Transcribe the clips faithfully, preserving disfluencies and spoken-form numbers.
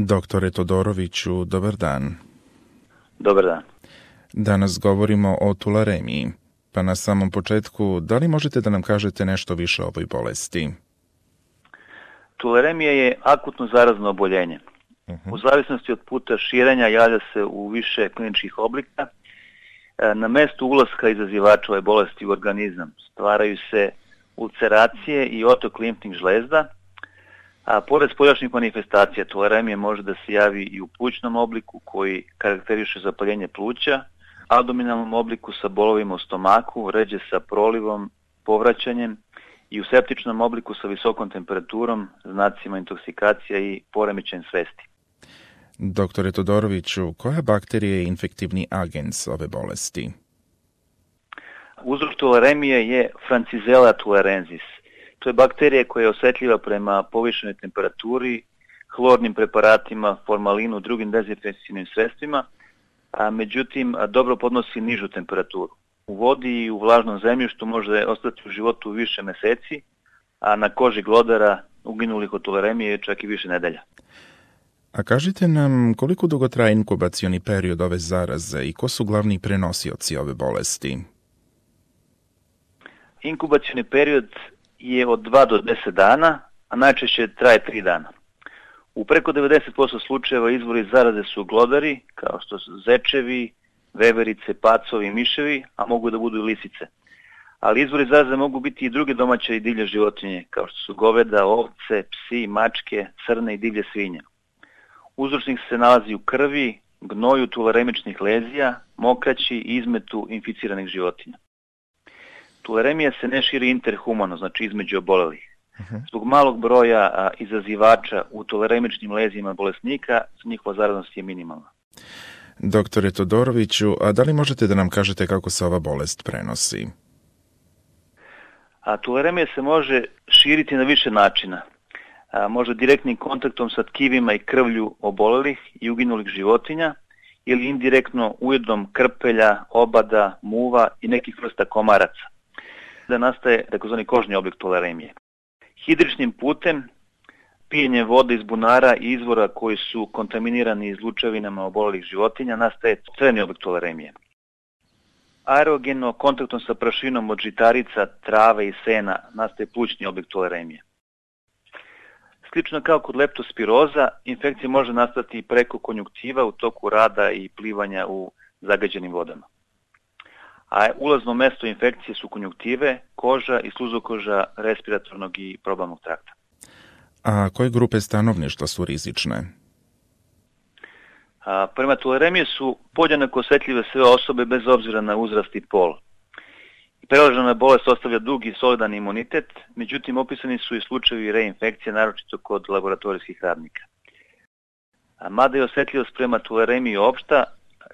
Doktore Todoroviću, dobar dan. Dobar dan. Danas govorimo o tularemiji. Pa na samom početku, da li možete da nam kažete nešto više o ovoj bolesti? Tularemija je akutno zarazno oboljenje. Uh-huh. U zavisnosti od puta širenja javlja se u više kliničkih oblika. Na mestu ulaska izazivača ove bolesti u organizam stvaraju se ulceracije i otok limfnih žlezda, a pored spoljašnjih manifestacija tularemije može da se javi i u plućnom obliku koji karakteriše zapaljenje pluća, abdominalnom obliku sa bolovima u stomaku, ređe sa prolivom, povraćanjem i u septičnom obliku sa visokom temperaturom, znacima intoksikacija i poremećajem svesti. Doktore Todoroviću, koja bakterija je infektivni agens ove bolesti? Uzrok tularemije je Francisella tularensis. To je bakterija koja je osetljiva prema povišenoj temperaturi, hlornim preparatima, formalinu, drugim dezinfekcijnim sredstvima, a međutim dobro podnosi nižu temperaturu. U vodi i u vlažnom zemljištu može ostati u životu više meseci, a na koži glodara uginulih od tularemije čak i više nedelja. A kažite nam koliko dugo traje inkubacioni period ove zaraze i ko su glavni prenosioci ove bolesti? Inkubacioni period je od dva do deset dana, a najčešće traje tri dana. U preko devedeset posto slučajeva izvori zaraze su glodari, kao što su zečevi, veverice, pacovi i miševi, a mogu da budu i lisice. Ali izvori zaraze mogu biti i druge domaće i divlje životinje, kao što su goveda, ovce, psi, mačke, crne i divlje svinje. Uzročnik se nalazi u krvi, gnoju tularemičnih lezija, mokraći i izmetu inficiranih životinja. Tularemija se ne širi interhumano, znači između obolelih. Zbog malog broja a, izazivača u tularemičnim lezijima bolesnika, njihova zaraznost je minimalna. Doktore Todoroviću, a da li možete da nam kažete kako se ova bolest prenosi? A, tularemija se može širiti na više načina. A, može direktnim kontaktom sa tkivima i krvlju obolelih i uginulih životinja ili indirektno ujedom krpelja, obada, muva i nekih vrsta komaraca. Da nastaje takozvani kožni oblik tularemije. Hidričnim putem, pijenje vode iz bunara i izvora koji su kontaminirani izlučevinama obolelih životinja, nastaje crni oblik tularemije. Aerogeno kontaktom sa prašinom od žitarica, trave i sena nastaje plućni oblik tularemije. Slično kao kod leptospiroza, infekcija može nastati preko konjuktiva u toku rada i plivanja u zagađenim vodama. A ulazno mesto infekcije su konjuktive, koža i sluzokoža respiratornog i probavnog trakta. A koje grupe stanovništva su rizične? A, prema tularemije su podjednako osetljive sve osobe bez obzira na uzrast i pol. Prelažena bolest ostavlja dug i solidan imunitet, međutim opisani su i slučajevi reinfekcije, naročito kod laboratorijskih radnika. A, mada je osetljivost prema tularemiji opšta,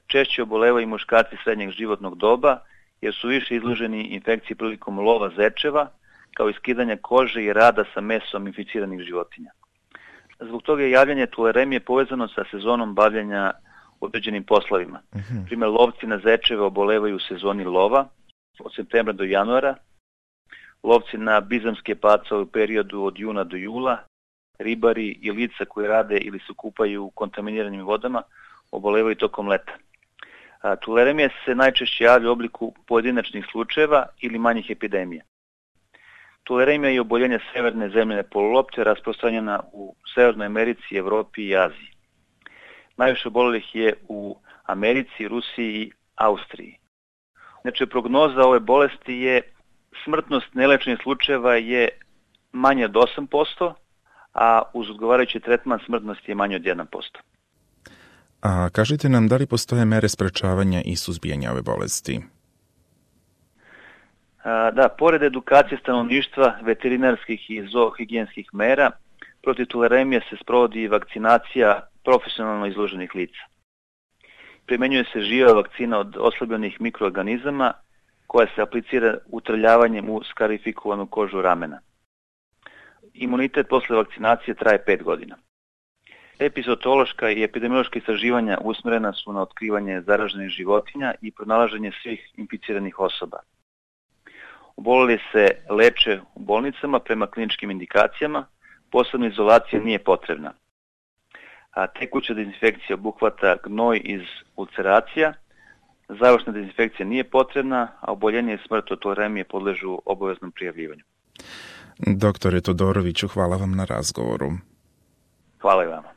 češće obolevaju muškarci srednjeg životnog doba, jer su više izloženi infekciji prilikom lova zečeva, kao i skidanja kože i rada sa mesom inficiranih životinja. Zbog toga je javljanje tularemije povezano sa sezonom bavljenja određenim poslovima. Uh-huh. Primjer, lovci na zečeve obolevaju u sezoni lova, od septembra do januara, lovci na bizamske pacove u periodu od juna do jula, ribari i lica koji rade ili se kupaju u kontaminiranim vodama obolevaju tokom leta. A, tularemija se najčešće javlja u obliku pojedinačnih slučajeva ili manjih epidemija. Tularemija je oboljenje severne zemljene polulopte rasprostranjena u Severnoj Americi, Evropi i Aziji. Najviše obolelih je u Americi, Rusiji i Austriji. Znači, prognoza ove bolesti je smrtnost nelečenih slučajeva je manje od osam posto, a uz odgovarajući tretman smrtnost je manje od jedan posto. A kažite nam, da li postoje mere sprečavanja i suzbijanja ove bolesti? A, da, pored edukacije stanovništva, veterinarskih i zoohigijenskih mera, protiv tularemije se sprovodi i vakcinacija profesionalno izloženih lica. Primenjuje se živa vakcina od oslabljenih mikroorganizama koja se aplicira utrljavanjem u skarifikovanu kožu ramena. Imunitet posle vakcinacije traje pet godina. Epizotološka i epidemiološka istraživanja usmjerena su na otkrivanje zaraženih životinja i pronalaženje svih inficiranih osoba. Oboleli se leče u bolnicama prema kliničkim indikacijama, posebna izolacija nije potrebna. a tekuća dezinfekcija obuhvata gnoj iz ulceracija, završna dezinfekcija nije potrebna, a oboljenje i smrt od tularemije podležu obaveznom prijavljivanju. Doktore Todoroviću, hvala vam na razgovoru. Hvala i vama.